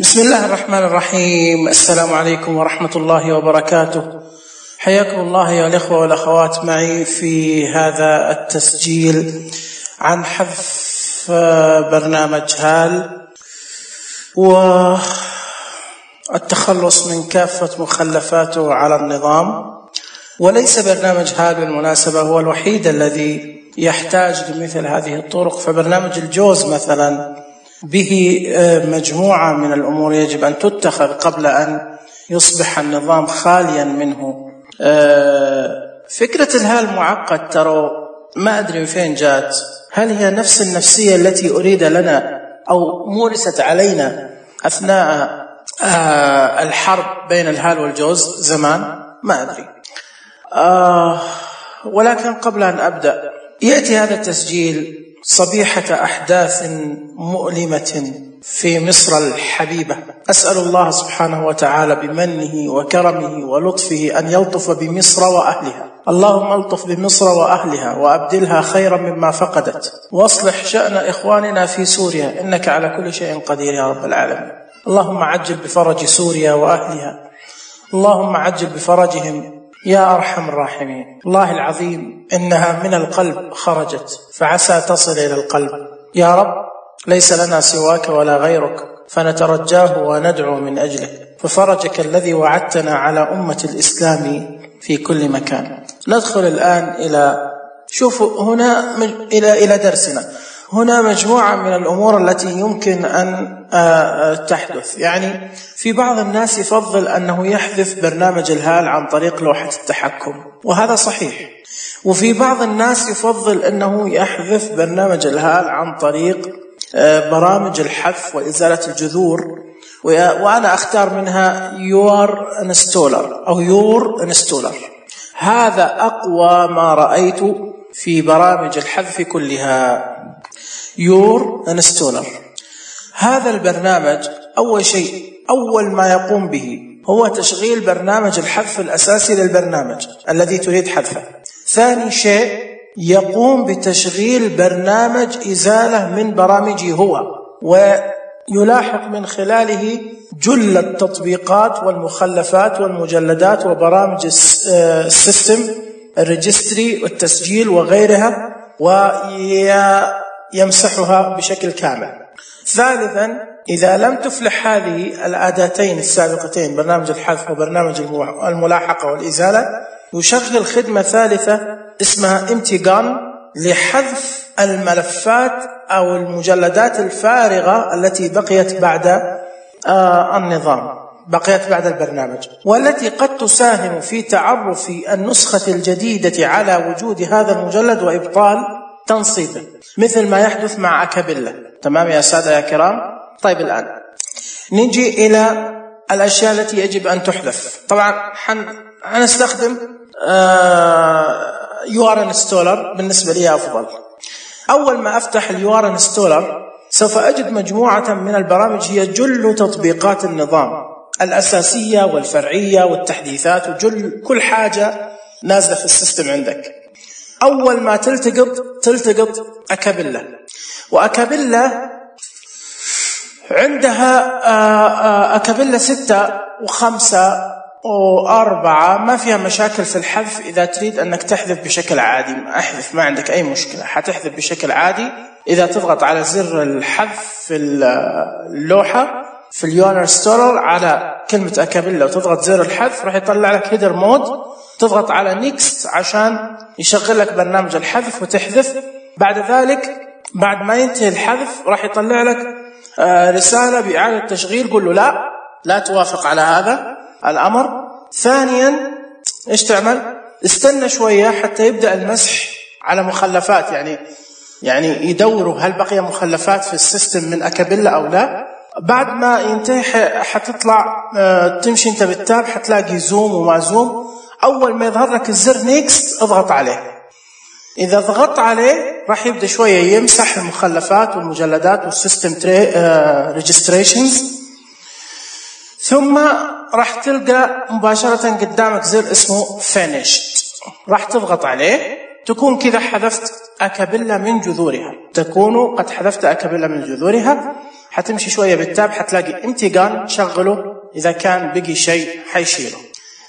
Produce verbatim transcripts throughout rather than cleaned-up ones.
بسم الله الرحمن الرحيم. السلام عليكم ورحمة الله وبركاته. حياكم الله يا الإخوة والأخوات معي في هذا التسجيل عن حذف برنامج هال والتخلص من كافة مخلفاته على النظام. وليس برنامج هال بالمناسبة هو الوحيد الذي يحتاج لمثل هذه الطرق، فبرنامج الجوز مثلا به مجموعة من الأمور يجب أن تتخذ قبل أن يصبح النظام خاليا منه. فكرة الهال معقد، ترى ما أدري من فين جات. هل هي نفس النفسية التي أريد لنا أو مورست علينا أثناء الحرب بين الهال والجوز زمان؟ ما أدري. ولكن قبل أن أبدأ، يأتي هذا التسجيل صبيحة أحداث مؤلمة في مصر الحبيبة. أسأل الله سبحانه وتعالى بمنه وكرمه ولطفه أن يلطف بمصر وأهلها. اللهم الطف بمصر وأهلها وأبدلها خيرا مما فقدت، واصلح شأن إخواننا في سوريا، إنك على كل شيء قدير يا رب العالمين. اللهم عجل بفرج سوريا وأهلها، اللهم عجل بفرجهم يا أرحم الراحمين. الله العظيم إنها من القلب خرجت، فعسى تصل إلى القلب. يا رب ليس لنا سواك ولا غيرك، فنترجاه وندعو من أجله، ففرجك الذي وعدتنا على أمة الإسلام في كل مكان. ندخل الآن إلى شوفوا هنا إلى إلى درسنا. هنا مجموعة من الأمور التي يمكن أن تحدث. يعني في بعض الناس يفضل أنه يحذف برنامج الهال عن طريق لوحة التحكم، وهذا صحيح. وفي بعض الناس يفضل أنه يحذف برنامج الهال عن طريق برامج الحذف وإزالة الجذور، وأنا أختار منها يور انستولر أو يور انستولر. هذا أقوى ما رأيت في برامج الحذف كلها. يور انستولر هذا البرنامج أول شيء أول ما يقوم به هو تشغيل برنامج الحذف الأساسي للبرنامج الذي تريد حذفه. ثاني شيء يقوم بتشغيل برنامج إزالة من برامجه هو، ويلاحق من خلاله جل التطبيقات والمخلفات والمجلدات وبرامج السيستم الريجستري والتسجيل وغيرها، ويمسحها بشكل كامل. ثالثا، إذا لم تفلح هذه الأداتين السابقتين برنامج الحذف وبرنامج الملاحقة والإزالة، يشغل خدمة ثالثة اسمها امتيغان لحذف الملفات أو المجلدات الفارغة التي بقيت بعد آه النظام بقيت بعد البرنامج، والتي قد تساهم في تعرف النسخة الجديدة على وجود هذا المجلد وإبطال تنصيبه، مثل ما يحدث مع أكابيلا. تمام يا سادة يا كرام؟ طيب الآن نجي إلى الأشياء التي يجب أن تحذف. طبعا حنستخدم يو ار انستولر، بالنسبة لي أفضل. أول ما أفتح اليو ار انستولر سوف أجد مجموعة من البرامج هي جل تطبيقات النظام الأساسية والفرعية والتحديثات وجل كل حاجة نازلة في السيستم عندك. أول ما تلتقط تلتقط أكابيلا، وأكابيلا عندها أكابيلا ستة وخمسة وأربعة ما فيها مشاكل في الحذف. إذا تريد أنك تحذف بشكل عادي أحذف، ما عندك أي مشكلة، حتحذف بشكل عادي. إذا تضغط على زر الحذف في اللوحة في اليو ار انستولر على كلمة أكابيلا وتضغط زر الحذف راح يطلع لك هيدر مود، تضغط على نيكست عشان يشغل لك برنامج الحذف وتحذف. بعد ذلك بعد ما ينتهي الحذف راح يطلع لك رسالة بإعادة تشغيل، قل له لا لا توافق على هذا الأمر. ثانيا إيش تعمل؟ استنى شوية حتى يبدأ المسح على مخلفات، يعني يعني يدوروا هل بقي مخلفات في السيستم من أكابيلا أو لا. بعد ما ينتهي حتطلع تمشي انت بالتاب حتلاقي زوم وما زوم. أول ما يظهر لك الزر نيكست اضغط عليه. إذا ضغطت عليه راح يبدأ شوية يمسح المخلفات والمجلدات والسيستم ريجستريشنز، ثم راح تلقى مباشرة قدامك زر اسمه finished، راح تضغط عليه. تكون كذا حذفت أكابيلا من جذورها، تكون قد حذفت أكابيلا من جذورها. حتمشي شوية بالتاب حتلاقي امتيجان شغله، إذا كان بقي شيء حيشيله.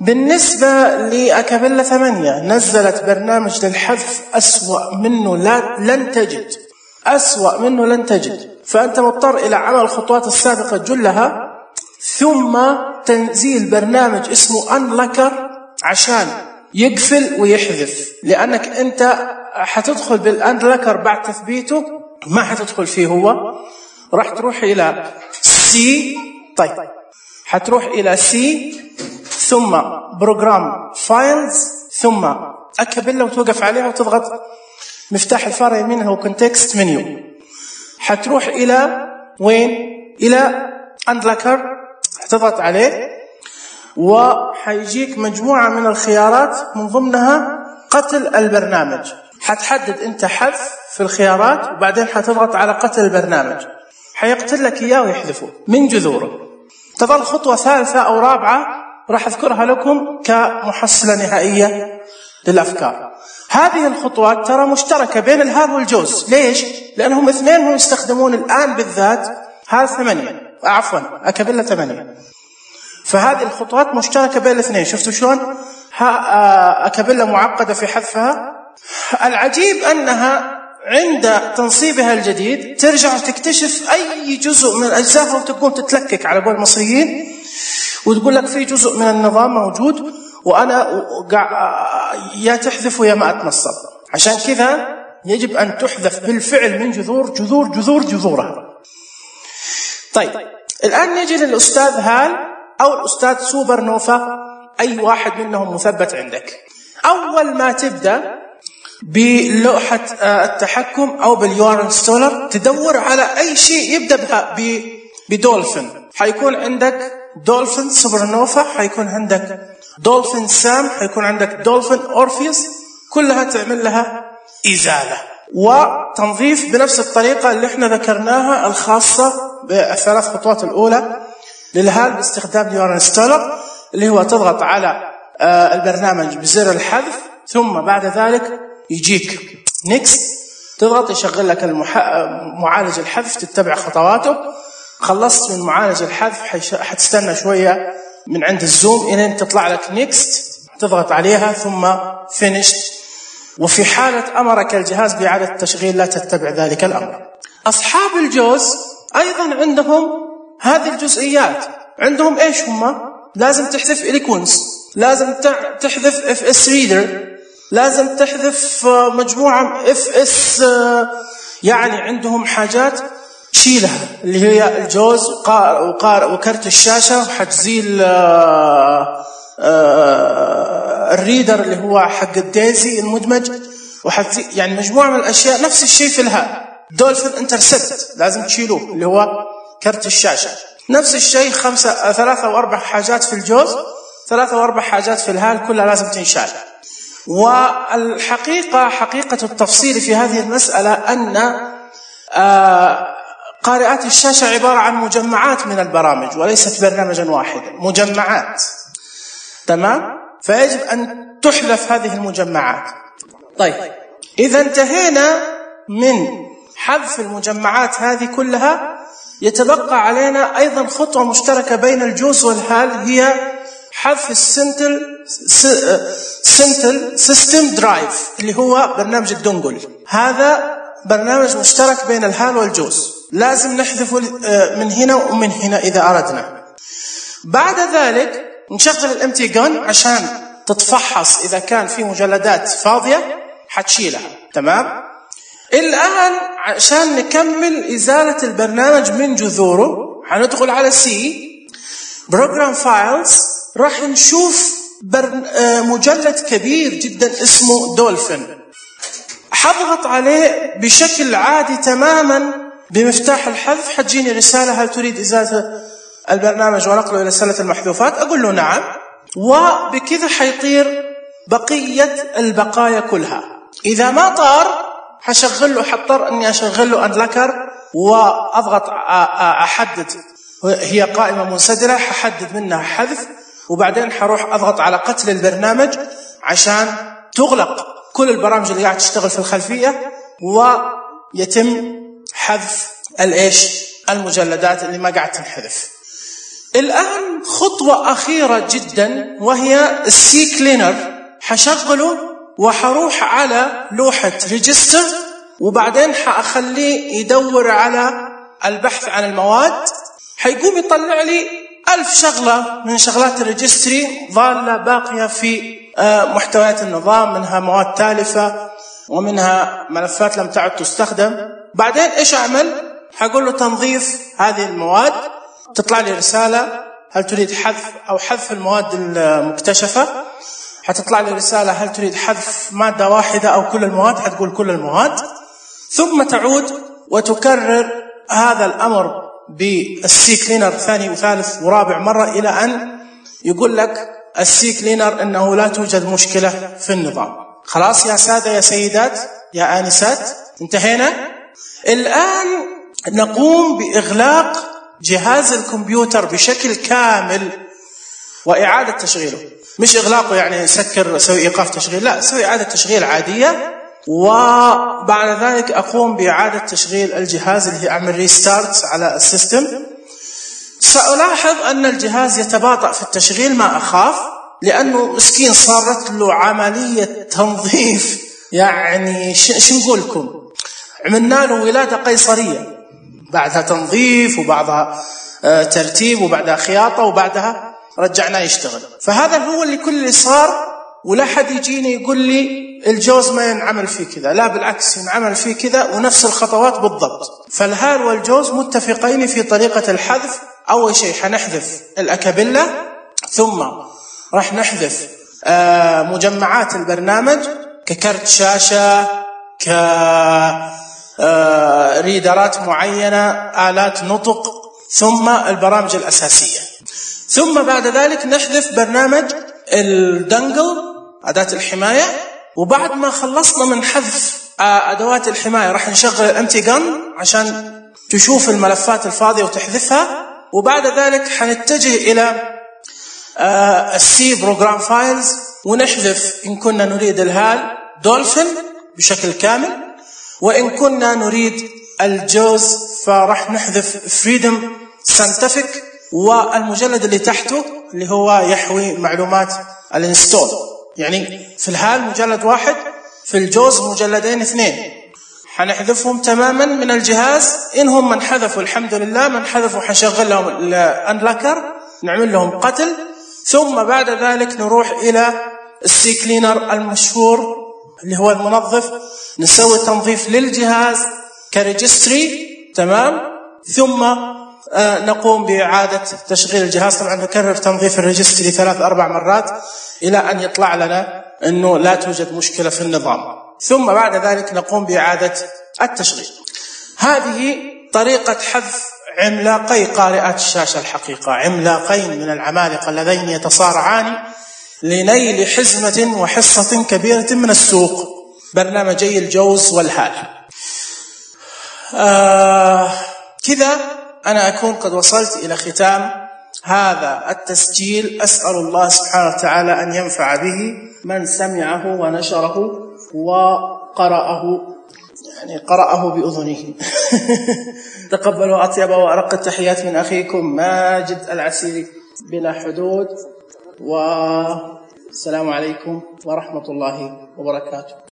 بالنسبة لأكابيلا ثمانية نزلت برنامج للحذف أسوأ منه لا لن تجد، أسوأ منه لن تجد. فأنت مضطر إلى عمل الخطوات السابقة جلها ثم تنزيل برنامج اسمه أنلكر عشان يقفل ويحذف، لأنك أنت حتدخل بالأنلكر بعد تثبيته ما حتدخل فيه هو. راح تروح إلى سي، طيب حتروح إلى سي ثم بروجرام فايلز ثم أكابيلا وتوقف عليها وتضغط مفتاح الفار يمين هو كونتكست منيو. حتروح إلى وين؟ إلى أنلكر، حتضغط عليه وحيجيك مجموعة من الخيارات من ضمنها قتل البرنامج. حتحدد أنت حذف في الخيارات وبعدين حتضغط على قتل البرنامج، حيقتل لك إياه ويحذفه من جذوره. تظل خطوة ثالثة أو رابعة راح أذكرها لكم كمحصلة نهائية للأفكار. هذه الخطوات ترى مشتركة بين الهال والجوز. ليش؟ لأنهم اثنين هم يستخدمون الآن بالذات هال ثمانية، عفوا أكابيلا ثمانية. فهذه الخطوات مشتركة بين الاثنين. شفتوا شلون؟ أكابيلا معقدة في حذفها. العجيب أنها عند تنصيبها الجديد ترجع تكتشف أي جزء من أجزائها وتقوم تتلكك على قول المصريين وتقول لك في جزء من النظام موجود وأنا يا تحذف يا ما أتنصب. عشان كذا يجب أن تحذف بالفعل من جذور جذور جذور جذورها. طيب الآن نجي للأستاذ هال أو الأستاذ سوبر نوفا، أي واحد منهم مثبت عندك. أول ما تبدأ بلوحة التحكم أو باليو آر انستولر تدور على أي شيء يبدأ بدولفين. حيكون عندك دولفين سوبر نوفا، حيكون عندك دولفين سام، حيكون عندك دولفين أورفيوس، كلها تعمل لها إزالة وتنظيف بنفس الطريقة اللي احنا ذكرناها الخاصة بالثلاث خطوات الأولى للهال باستخدام اليو آر انستولر، اللي هو تضغط على البرنامج بزر الحذف ثم بعد ذلك يجيك نيكست، تضغط يشغل لك المح... معالج الحذف، تتبع خطواته. خلصت من معالج الحذف حتستنى شوية من عند الزوم إلى تطلع لك نيكست، تضغط عليها ثم فينيشت. وفي حالة أمرك الجهاز بإعادة التشغيل لا تتبع ذلك الأمر. أصحاب الجوز أيضا عندهم هذه الجزئيات. عندهم إيش هم؟ لازم تحذف إليكونس، لازم تحذف اف اس ريدر، لازم تحذف مجموعة اف اس، يعني عندهم حاجات شيلها اللي هي الجوز وكارت الشاشة، حتزيل الريدر اللي هو حق الديزي المدمج، وحتزيل يعني مجموعة من الأشياء. نفس الشيء في الهال دولفين انترسبت لازم تشيلوه اللي هو كارت الشاشة. نفس الشيء خمسة ثلاثة وأربع حاجات في الجوز، ثلاثة وأربع حاجات في الهال، كلها لازم تنشال. والحقيقة حقيقة التفصيل في هذه المسألة أن قارئات الشاشة عبارة عن مجمعات من البرامج وليست برنامجا واحدا، مجمعات، تمام؟ فيجب أن تحذف هذه المجمعات. طيب إذا انتهينا من حذف المجمعات هذه كلها، يتبقى علينا أيضا خطوة مشتركة بين الجوز والهال، هي حذف السنتل سنتل سيستم درايف اللي هو برنامج الدونجل. هذا برنامج مشترك بين الهال والجوز، لازم نحذفه من هنا ومن هنا إذا أردنا. بعد ذلك نشغل الامتي جون عشان تتفحص إذا كان في مجلدات فاضية حتشيلها، تمام؟ الآن عشان نكمل إزالة البرنامج من جذوره هندخل على سي بروجرام فايلز، راح نشوف مجلد كبير جدا اسمه دولفين. حضغط عليه بشكل عادي تماما بمفتاح الحذف، حتجيني رسالة هل تريد إزالة البرنامج ونقله إلى سلة المحذوفات؟ أقول له نعم، وبكذا حيطير بقية البقايا كلها. إذا ما طار حشغل له، حضطر أني أشغل له أنلكر وأضغط أحدد، هي قائمة منسدرة ححدد منها حذف، وبعدين حروح أضغط على قتل البرنامج عشان تغلق كل البرامج اللي قاعد تشتغل في الخلفية ويتم حذف الإيش المجلدات اللي ما قاعد تنحذف. الآن خطوة أخيرة جدا وهي السي كلينر. حشغله وحروح على لوحة ريجستر، وبعدين حأخليه يدور على البحث عن المواد. حيقوم يطلع لي ألف شغلة من شغلات الريجستري ظالة باقية في محتويات النظام، منها مواد تالفة ومنها ملفات لم تعد تستخدم. بعدين إيش أعمل؟ حقول له تنظيف هذه المواد، تطلع لي رسالة هل تريد حذف أو حذف المواد المكتشفة. حتطلع لي رسالة هل تريد حذف مادة واحدة أو كل المواد، حتقول كل المواد. ثم تعود وتكرر هذا الأمر بالسي كلينر ثاني وثالث ورابع مرة إلى أن يقول لك السي كلينر أنه لا توجد مشكلة في النظام. خلاص يا سادة يا سيدات يا آنسات، انتهينا. الآن نقوم بإغلاق جهاز الكمبيوتر بشكل كامل وإعادة تشغيله. مش إغلاقه يعني سكر سوي إيقاف تشغيل، لا، سوي إعادة تشغيل عادية. وبعد ذلك أقوم بإعادة تشغيل الجهاز اللي هي أعمل ريستارت على السيستم. سألاحظ أن الجهاز يتباطأ في التشغيل، ما أخاف، لأنه مسكين صارت له عملية تنظيف. يعني شو نقول لكم، عملنا له ولادة قيصرية، بعدها تنظيف وبعدها ترتيب وبعدها خياطة وبعدها رجعناه يشتغل. فهذا هو اللي كل اللي صار. ولا حد يجيني يقول لي الجوز ما ينعمل فيه كذا، لا بالعكس ينعمل فيه كذا ونفس الخطوات بالضبط. فالهال والجوز متفقين في طريقة الحذف. أول شيء حنحذف الأكابيلا، ثم راح نحذف مجمعات البرنامج ككرت شاشة، كريدرات معينة، آلات نطق، ثم البرامج الأساسية. ثم بعد ذلك نحذف برنامج الدنجل أداة الحماية. وبعد ما خلصنا من حذف أدوات الحماية راح نشغل الامتي جن عشان تشوف الملفات الفاضية وتحذفها. وبعد ذلك حنتجه إلى السي بروجرام فايلز ونحذف إن كنا نريد الهال دولفين بشكل كامل، وإن كنا نريد الجوز فراح نحذف فريدم ساينتفك والمجلد اللي تحته اللي هو يحوي معلومات الانستول. يعني في الهال مجلد واحد، في الجوز مجلدين اثنين، حنحذفهم تماما من الجهاز. إنهم من حذفوا الحمد لله، من حذفوا حنشغل لهم الأنلاكر نعمل لهم قتل. ثم بعد ذلك نروح إلى السي كلينر المشهور اللي هو المنظف، نسوي تنظيف للجهاز كريجستري، تمام. ثم آه نقوم بإعادة تشغيل الجهاز. طبعا نكرر تنظيف الريجستري ثلاث أربع مرات إلى أن يطلع لنا أنه لا توجد مشكلة في النظام. ثم بعد ذلك نقوم بإعادة التشغيل. هذه طريقة حذف عملاقي قارئات الشاشة، الحقيقة عملاقين من العمالقة اللذين يتصارعان لنيل حزمة وحصة كبيرة من السوق، برنامجي الجوز والهال. آه كذا أنا أكون قد وصلت إلى ختام هذا التسجيل. أسأل الله سبحانه وتعالى أن ينفع به من سمعه ونشره وقرأه، يعني قرأه بأذنه. تقبلوا أطيب وأرق التحيات من أخيكم ماجد العسيري بلا حدود، والسلام عليكم ورحمة الله وبركاته.